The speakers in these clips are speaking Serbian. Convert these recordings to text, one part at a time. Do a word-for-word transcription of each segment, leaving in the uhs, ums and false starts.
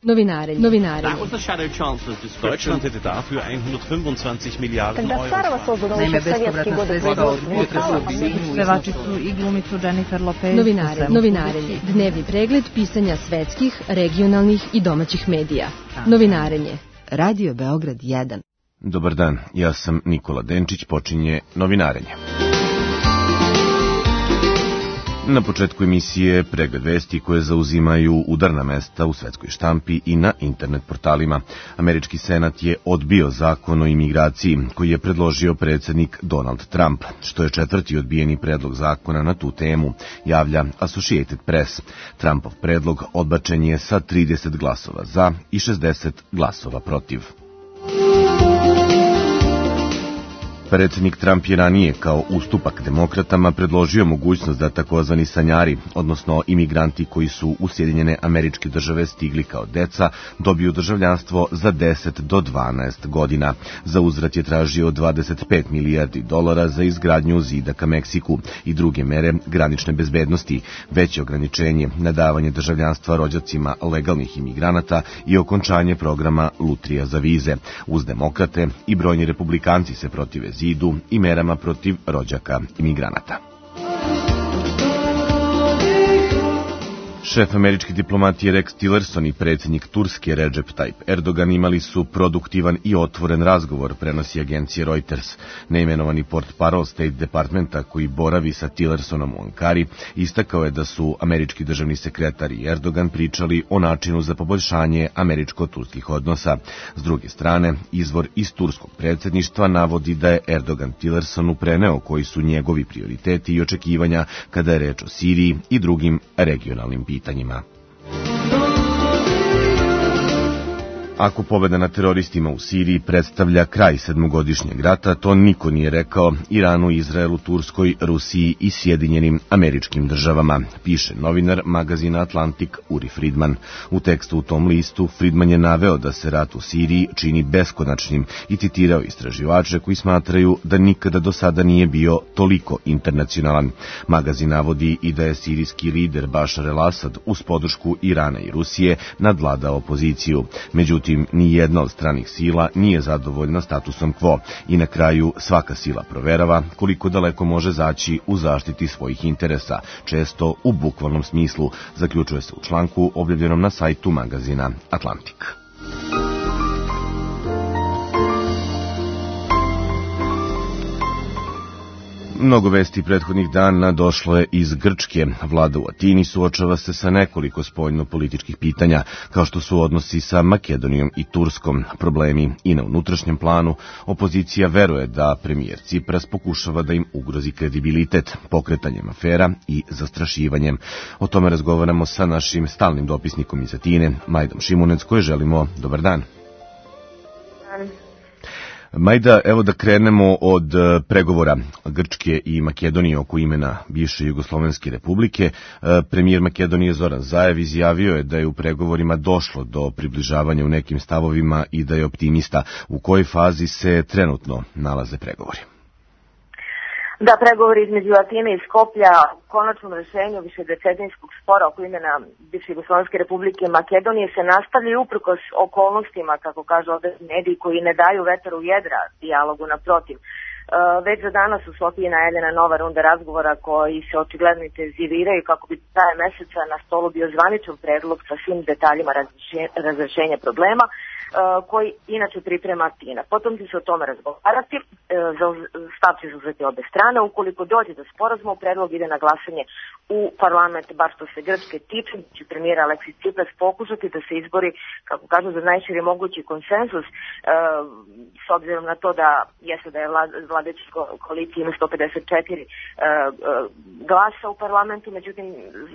Novinarenje. Novinarenje. That was the shadow chancellor's description. Deutschland hätte dafür hundertfünfundzwanzig Milliarden Euro. Naime, bespovratna sredstva od potresa pevačicu i glumicu Jennifer Lopez. Novinarenje. Novinarenje. Dnevni pregled pisanja svetskih, regionalnih i domaćih medija. Novinarenje. Radio Beograd jedan. Dobar dan, ja sam Nikola Denčić, počinje Novinarenje. Na početku emisije pregled vesti koje zauzimaju udarna mesta u svetskoj štampi i na internet portalima. Američki senat je odbio zakon o imigraciji koji je predložio predsjednik Donald Trump, što je četvrti odbijeni predlog zakona na tu temu, javlja Associated Press. Trumpov predlog odbačen je sa trideset glasova za i šezdeset glasova protiv. Predsjednik Trump je ranije kao ustupak demokratama predložio mogućnost da takozvani sanjari, odnosno imigranti koji su u Sjedinjene Američke Države stigli kao deca, dobiju državljanstvo za deset do dvanaest godina. Za uzvrat je tražio dvadeset pet milijardi dolara za izgradnju zida ka Meksiku i druge mere granične bezbednosti, veće ograničenje na davanje državljanstva rođacima legalnih imigranata i okončanje programa lutrija za vize. Uz demokrate i brojni republikanci se protive zidu i merama protiv rođaka imigranata. Šef američke diplomatije Rex Tillerson i predsjednik Turske Recep Tayyip Erdogan imali su produktivan i otvoren razgovor, prenosi agencija Reuters. Neimenovani portparol State Departmenta koji boravi sa Tillersonom u Ankari istakao je da su američki državni sekretar i Erdogan pričali o načinu za poboljšanje američko-turskih odnosa. S druge strane, izvor iz turskog predsjedništva navodi da je Erdogan Tillersonu preneo koji su njegovi prioriteti i očekivanja kada je reč o Siriji i drugim regionalnim pitanjima. pitanjima. Ako pobjeda na teroristima u Siriji predstavlja kraj sedmogodišnjeg rata, to niko nije rekao Iranu, Izraelu, Turskoj, Rusiji i Sjedinjenim Američkim Državama, piše novinar magazina Atlantic Uri Friedman. U tekstu u tom listu Friedman je naveo da se rat u Siriji čini beskonačnim i citirao istraživače koji smatraju da nikada do sada nije bio toliko internacionalan. Magazin navodi i da je sirijski lider Bašar el-Asad uz podršku Irana i Rusije nadvladao opoziciju. Međutim, ni jedna od stranih sila nije zadovoljna statusom quo i na kraju svaka sila proverava koliko daleko može zaći u zaštiti svojih interesa, često u bukvalnom smislu, zaključuje se u članku objavljenom na sajtu magazina Atlantic. Mnogo vesti prethodnih dana došlo je iz Grčke. Vlada u Atini suočava se sa nekoliko spoljno-političkih pitanja, kao što su odnosi sa Makedonijom i Turskom, problemi i na unutrašnjem planu. Opozicija veruje da premijer Cipras pokušava da im ugrozi kredibilitet, pokretanjem afera i zastrašivanjem. O tome razgovaramo sa našim stalnim dopisnikom iz Atine, Majdom Šimunec, koje želimo dobar dan. Majda, evo da krenemo od pregovora Grčke i Makedonije oko imena bivše Jugoslovenske republike. Premijer Makedonije Zoran Zaev izjavio je da je u pregovorima došlo do približavanja u nekim stavovima i da je optimista. U kojoj fazi se trenutno nalaze pregovori? Da, pregovori između Atine i Skoplja u konačnom rešenju višedecenijskog spora oko imena bivše Jugoslovenske republike Makedonije se nastavljaju uprkos okolnostima, kako kažu ovdje mediji, koji ne daju vetar u jedra dijalogu, naprotiv. Već za danas u Sofiji najavljena nova runda razgovora koji se očigledno intenziviraju kako bi traje meseca na stolu bio zvaničan predlog sa svim detaljima razrešenja problema koji inače priprema Atina. Potom će se o tome razgovarati, stav će zauzeti obe strane. Ukoliko dođe do sporazuma, predlog ide na glasanje u parlament, bar što se Grčke tiče, će premijer Aleksis Cipras pokušati da se izbori, kako kažu, za najširi mogući konsenzus, s obzirom na to da jeste da je vladajuća koalicija ima sto pedeset četiri glasa u parlamentu, međutim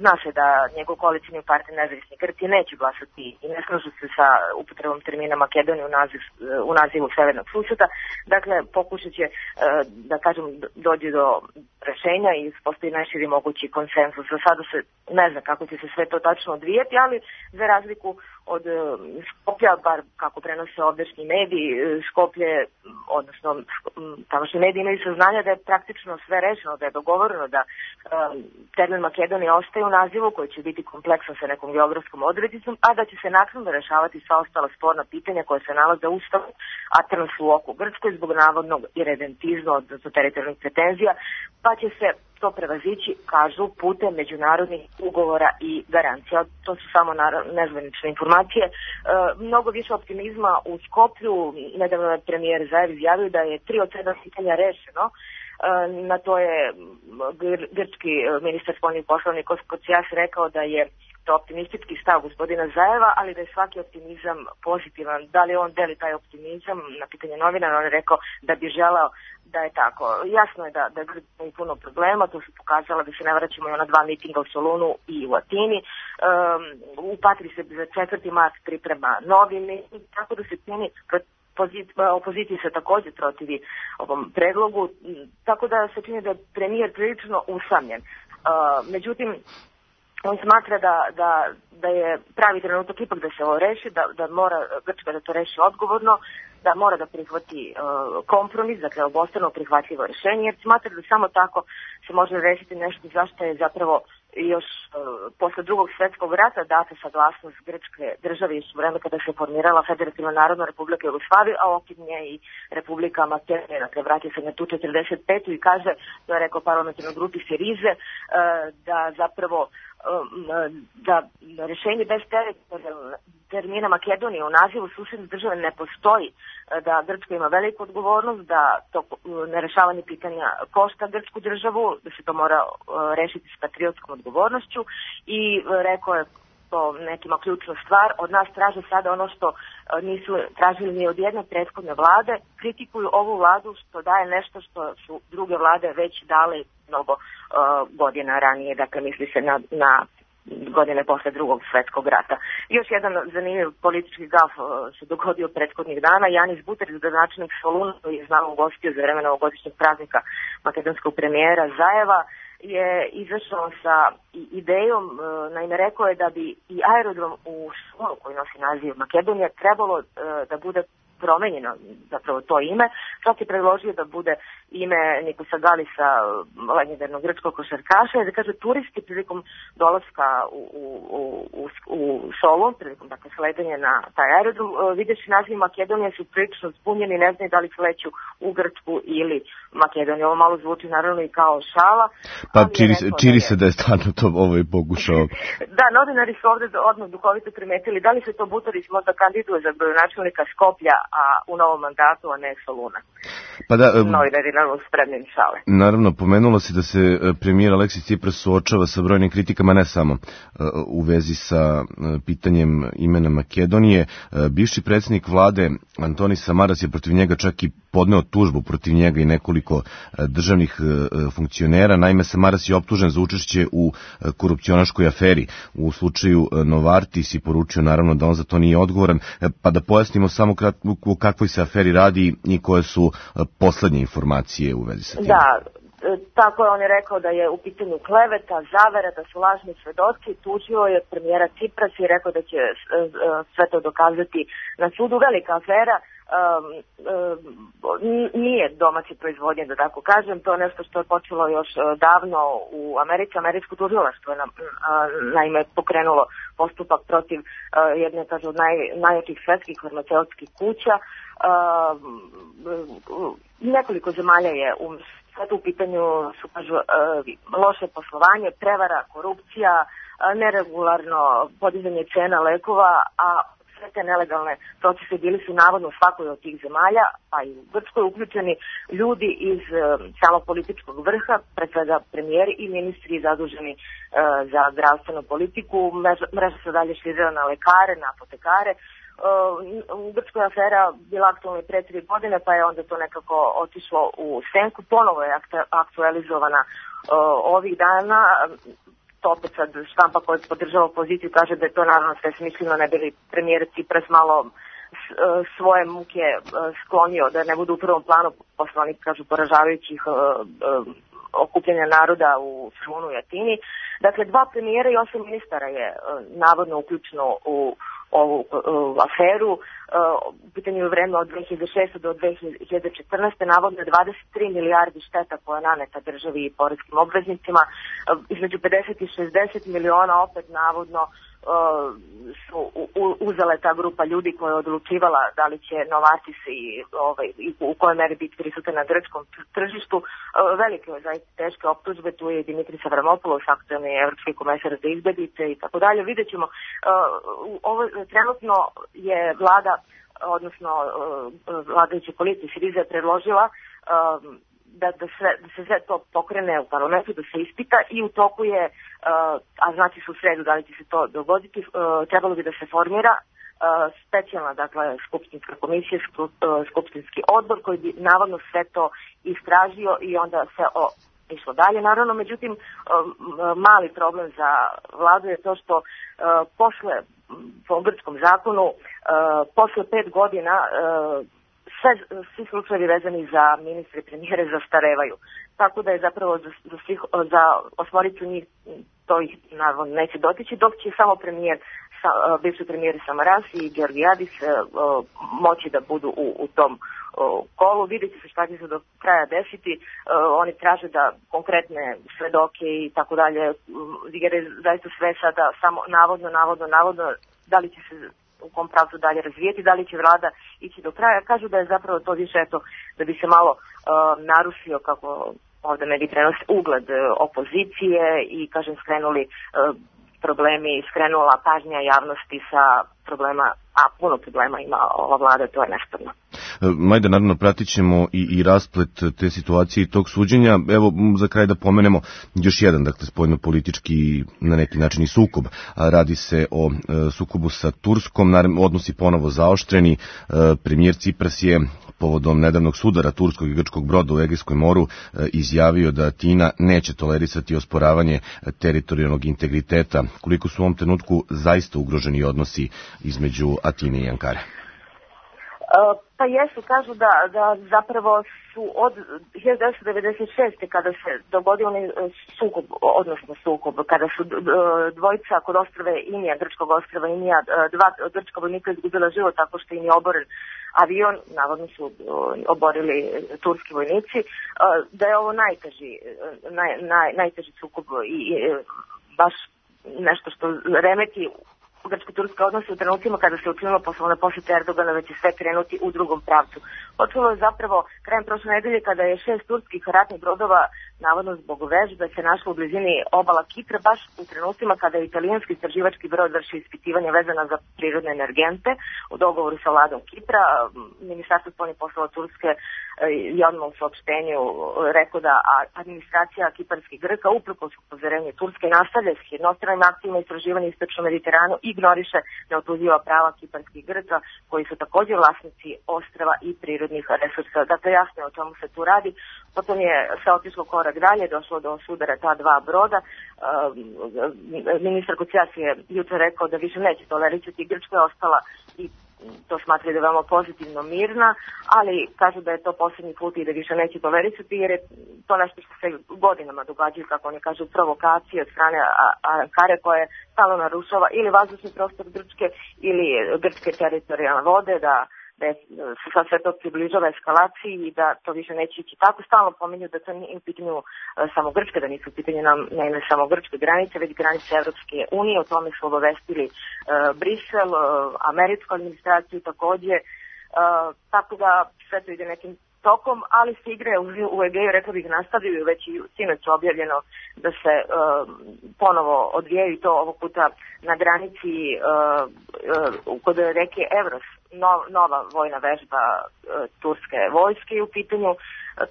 zna se da njegov koalicijni partner Nezavisni Grci neće glasati i ne slažu se sa upotrebom termina Makedonije u, naziv, u nazivu severnog susjeta. Dakle, pokušat će, da kažem, dođe do rešenja i postoji najširi mogući konsenzus. Za sada se ne zna kako će se sve to tačno odvijeti, ali za razliku od Skoplja, bar kako prenose ovdašnji mediji, Skoplje, odnosno tamošnji mediji imaju saznanja da je praktično sve rešeno, da je dogovoreno da um, termin Makedonija ostaje u nazivu koji će biti kompleksan sa nekom geografskom odrednicom, a da će se naknadno rešavati sva ostala sporna pitanja koja se nalaze u Ustavu, a trenutno su u oku Grčkoj zbog navodnog iredentizma, odnosno teritorijalnih pretenzija, pa će se to prevazići, kažu, putem međunarodnih ugovora i garancija. To su samo nezvanične informacije. E, mnogo više optimizma u Skoplju. Nedavno je premijer Zaev izjavio da je tri od sedam pitanja rešeno. E, na to je gr grčki ministar spoljnih poslova Nikos Kocias rekao da je to optimistički stav gospodina Zaeva, ali da je svaki optimizam pozitivan. Da li on deli taj optimizam? Na pitanje novinara on je rekao da bi želeo da je tako. Jasno je da, da Grčka ima puno problema, to su pokazala da se ne vraćamo i ona dva mitinga u Solunu i u Atini. Um, u Patri se za četvrti mart priprema novi miting, tako da se čini opoziciji se također protivi ovom predlogu, tako da se čini da je premijer prilično usamljen. Uh, međutim, on smatra da, da, da je pravi trenutak ipak da se ovo reši, da, da mora Grčka da to reši odgovorno, da mora da prihvati uh, kompromis, dakle obostrano prihvatljivo rješenje, jer smatra da samo tako se može rešiti nešto zašto je zapravo još uh, posle drugog svjetskog rata data saglasnost Grčke države još u vreme kada se formirala Federativna narodna republika Jugoslavije, a okid nje i Republika Makedonija, dakle vratio se na tu četrdeset petu i kaže, to je rekao parlamentarnoj grupi Sirize, uh, da zapravo da rješenje bez termina Makedonije u nazivu susedne države ne postoji, da Grčka ima veliku odgovornost, da to nerešavanje pitanja košta Grčku državu, da se to mora rešiti s patriotskom odgovornošću i rekao je to nekima ključna stvar, od nas traže sada ono što nisu tražili ni od jedne prethodne vlade, kritikuju ovu vladu što daje nešto što su druge vlade već dale mnogo uh, godina ranije, dakle misli se na, na godine posle drugog svjetskog rata. Još jedan zanimljiv politički gaf uh, se dogodio prethodnih dana. Janis Buterić, gradonačelnik Soluna, koji je znamo ugostio za vreme novogodišnjeg praznika makedonskog premijera Zaeva, je izašao sa idejom, uh, naime rekao je da bi i aerodrom u Solunu, koji nosi naziv Makedonija, trebalo uh, da bude promenjeno zapravo to ime, čak je predložio da bude ime Nikosa Galisa, legendarnog grčkog košarkaša, i da kaže turisti prilikom dolaska u, u, u, u Solun, prilikom dakle sledanja na taj aerodrom, videći naziv Makedonije su prilično zbunjeni, ne znaju da li sleću u Grčku ili Makedoniju. Ovo malo zvuči naravno i kao šala. Pa čini, čini se da je stvarno to ovo je pokušao. Da, novinari su ovdje odmah duhovito primetili da li se to Butorić možda kandiduje za gradonačelnika Skoplja, a u novom mandatu, a ne Soluna. Pa da, novinari naravno spremni šale. Naravno, pomenulo se da se premijer Aleksis Tsipras suočava sa brojnim kritikama, ne samo u vezi sa pitanjem imena Makedonije. Bivši predsjednik vlade Antonis Samaras je protiv njega čak i podneo tužbu protiv njega i nekoliko državnih funkcionera. Naime, Samaras je optužen za učešće u korupcionaškoj aferi. U slučaju Novartis i poručio naravno da on za to nije odgovoran. Pa da pojasnimo samo kratko o kakvoj se aferi radi i koje su poslednje informacije u vezi sa tim. Da, tako je, on je rekao da je u pitanju kleveta, zavera, da su lažni svedoci, tužio je premijera Tsipras i rekao da će sve to dokazati na sudu. Velika afera. Um, um, nije domaće proizvodnje, da tako kažem, to je nešto što je počelo još uh, davno u Americi. Američko tužilaštvo je na, uh, naime pokrenulo postupak protiv uh, jedne, kažu, od naj, najjačih svetskih farmaceutskih kuća. Uh, uh, nekoliko zemalja je u svetu u pitanju su, kažu, uh, loše poslovanje, prevara, korupcija, uh, neregularno podizanje cena lekova, a sve te nelegalne procese bili su navodno u svakoj od tih zemalja, pa i u Grčkoj uključeni ljudi iz uh, samog političkog vrha, pre svega premijeri i ministri zaduženi uh, za zdravstvenu politiku. Mreža, mreža se dalje širila na lekare, na apotekare. Uh, u Grčkoj afera bila aktualna pre tri godine, pa je onda to nekako otišlo u senku. Ponovo je aktualizovana uh, ovih dana. To opet sad štampa koja podržava opoziciju kaže da je to naravno sve smišljeno, ne bi li premijer Tsipras malo svoje muke sklonio da ne budu u prvom planu posle onih, kažu, poražavajućih uh, uh, okupljanja naroda u Solunu i Atini. Dakle, dva premijera i osam ministara je uh, navodno uključeno u ovu uh, aferu. Uh, u pitanju je vreme od dve hiljade šeste. do dve hiljade četrnaeste. navodno je dvadeset tri milijardi šteta koja je naneta državi i poreskim obveznicima. Uh, između pedeset i šezdeset miliona opet navodno Uh, su u, uzela ta grupa ljudi koja je odlučivala da li će Novartis i, ovaj, i u kojoj meri biti prisutan na grčkom tržištu. Uh, velike je zaista teške optužbe, tu je Dimitris Avramopoulos, aktuelni evropski komesar za izbjeglice i tako dalje. Vidjet ćemo, uh, ovo, trenutno je vlada, odnosno uh, vladajuća koalicija Siriza je predložila uh, Da, da, sve, da se sve to pokrene u parlamentu, da se ispita i u toku je, uh, a znači su u sredu da li će se to dogoditi, uh, trebalo bi da se formira uh, specijalna, dakle, skupštinska komisija, skup, uh, skupštinski odbor koji bi navodno sve to istražio i onda se o, išlo dalje. Naravno, međutim, uh, mali problem za vladu je to što uh, posle, po grčkom zakonu, uh, posle pet godina uh, Sve, svi slučajevi vezani za ministre i premijere zastarevaju. Tako da je zapravo za, za, svih, za osmoricu njih to ih naravno neće dotići, dok će samo premijer, sa, bivši premijer Samaras i Georgijadis moći da budu u, u tom kolu. Vidjet će se šta će se do kraja desiti. Oni traže da konkretne svedoke i tako dalje, jer je zaista sve sada samo navodno, navodno, navodno, da li će se u kom pravcu dalje razvijeti, da li će vlada ići do kraja. Kažu da je zapravo to više eto, da bi se malo uh, narušio, kako ovdje mediji prenose, ugled uh, opozicije i, kažem, skrenuli uh, problemi, skrenula pažnja javnosti sa problema, a puno problema ima ova vlada, to je nesporno. Majda, naravno, pratit ćemo i, i rasplet te situacije i tog suđenja. Evo, za kraj da pomenemo još jedan, dakle, spoljno-politički na neki način i sukob. Radi se o e, sukobu sa Turskom, naravno, odnosi ponovo zaoštreni. E, premijer Cipras je povodom nedavnog sudara turskog i grčkog broda u Egejskom moru e, izjavio da Atina neće tolerisati osporavanje teritorijalnog integriteta. Koliko su u ovom trenutku zaista ugroženi odnosi između Atine i Ankare? Uh, pa jesu, kažu da, da zapravo su od hiljadu devetsto devedeset šeste. kada se dogodio onaj sukob, odnosno sukob, kada su dvojica kod ostrve Inija, grčkog ostrva Inija, dva grčka vojnika izgubila život tako što im je oboren avion, navodno su oborili turski vojnici, da je ovo najteži, naj, naj, najteži sukob i, i baš nešto što remeti grčko-turske odnose u trenucima kada se učinilo poslovne posjete Erdogana, već će sve krenuti u drugom pravcu. Počelo je zapravo krajem prošle nedelje kada je šest turskih ratnih brodova, navodno zbog vežbe, se našlo u blizini obala Kipra, baš u trenucima kada je italijanski istraživački brod vrši ispitivanje vezana za prirodne energente u dogovoru sa vladom Kipra. Ministarstvo spoljnih poslova Turske je odmah u saopštenju rekao da administracija kiparskih Grka uprkos upozorenju Turske nastavlja s jednostranim akcijama istraživanja istočnom Mediteranu i ignoriše neotuđiva prava kiparskih Grka koji su također vlasnici ostrva i prirodnih resursa. Dakle, jasno je o čemu se tu radi. Potom je se otišlo korak dalje, došlo do sudara ta dva broda. Ministar Kocijas je jučer rekao da više neće tolerisati. Grčka je ostala i to smatra da je veoma pozitivno mirna, ali kažu da je to posljednji put i da više neće tolerisati, jer je to nešto što se godinama događaju, kako oni kažu, provokacije od strane Ankare koje stalno narušava ili vazdušni prostor Grčke ili grčke teritorijalne vode, da da se sad sve to približava eskalaciji i da to više neće ići tako. Stalno pominju da to nije u pitanju samo Grčke, da nisu u pitanju nam, ne, ne samo grčke granice, već granice Evropske unije. O tome su obavestili uh, Brisel, uh, američku administraciju također. Uh, tako da sve to ide nekim tokom, ali se igre u, u Egeju, rekla bih, nastavljaju, već i sinoć objavljeno da se uh, ponovo odvijaju i to ovog puta na granici uh, uh, kod reke Evros, no, nova vojna vežba uh, turske vojske u pitanju. Uh,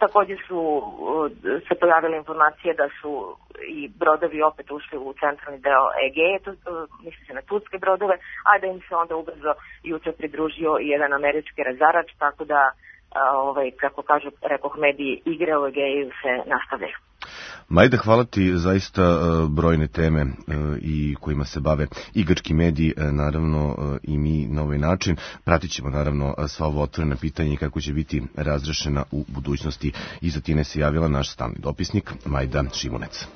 također su uh, se pojavile informacije da su i brodovi opet ušli u centralni deo Egeje, to, uh, misli se na turske brodove, a da im se onda ubrzo jučer pridružio i jedan američki razarač, tako da ovaj, kako kažu, rekoh, mediji, igre u Egeju se nastavljaju. Majda, hvala ti, zaista brojne teme i kojima se bave i grčki mediji, naravno i mi na ovaj način. Pratit ćemo naravno sva ovo otvorena pitanja i kako će biti razrešena u budućnosti. Iz Atine se javila naš stalni dopisnik Majda Šimunec.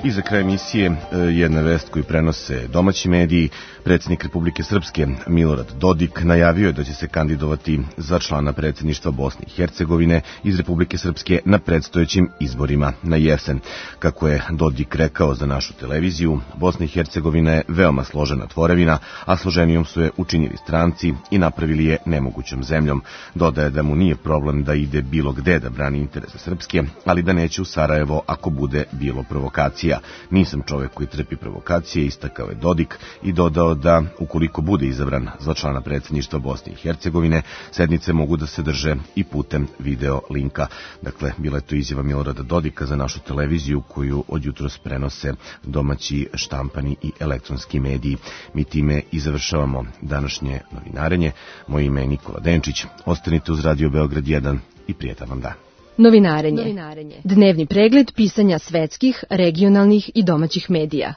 I za kraj emisije jedna vest koju prenose domaći mediji. Predsjednik Republike Srpske Milorad Dodik najavio je da će se kandidovati za člana predsjedništva Bosne i Hercegovine iz Republike Srpske na predstojećim izborima na jesen. Kako je Dodik rekao za našu televiziju, Bosna i Hercegovina je veoma složena tvorevina, a složenijom su je učinili stranci i napravili je nemogućom zemljom. Dodaje da mu nije problem da ide bilo gde da brani interese Srpske, ali da neće u Sarajevo ako bude bilo provokacija. Nisam čovek koji trpi provokacije, istakao je Dodik i dodao da ukoliko bude izabran za člana predsjedništva Bosne i Hercegovine, sednice mogu da se drže i putem video linka. Dakle, bila je to izjava Milorada Dodika za našu televiziju koju od jutros prenose domaći štampani i elektronski mediji. Mi time i završavamo današnje novinarenje. Moje ime je Nikola Denčić. Ostanite uz Radio Beograd jedan i prijetan vam dan. Novinarenje. Novinarenje. Dnevni pregled pisanja svetskih, regionalnih i domaćih medija.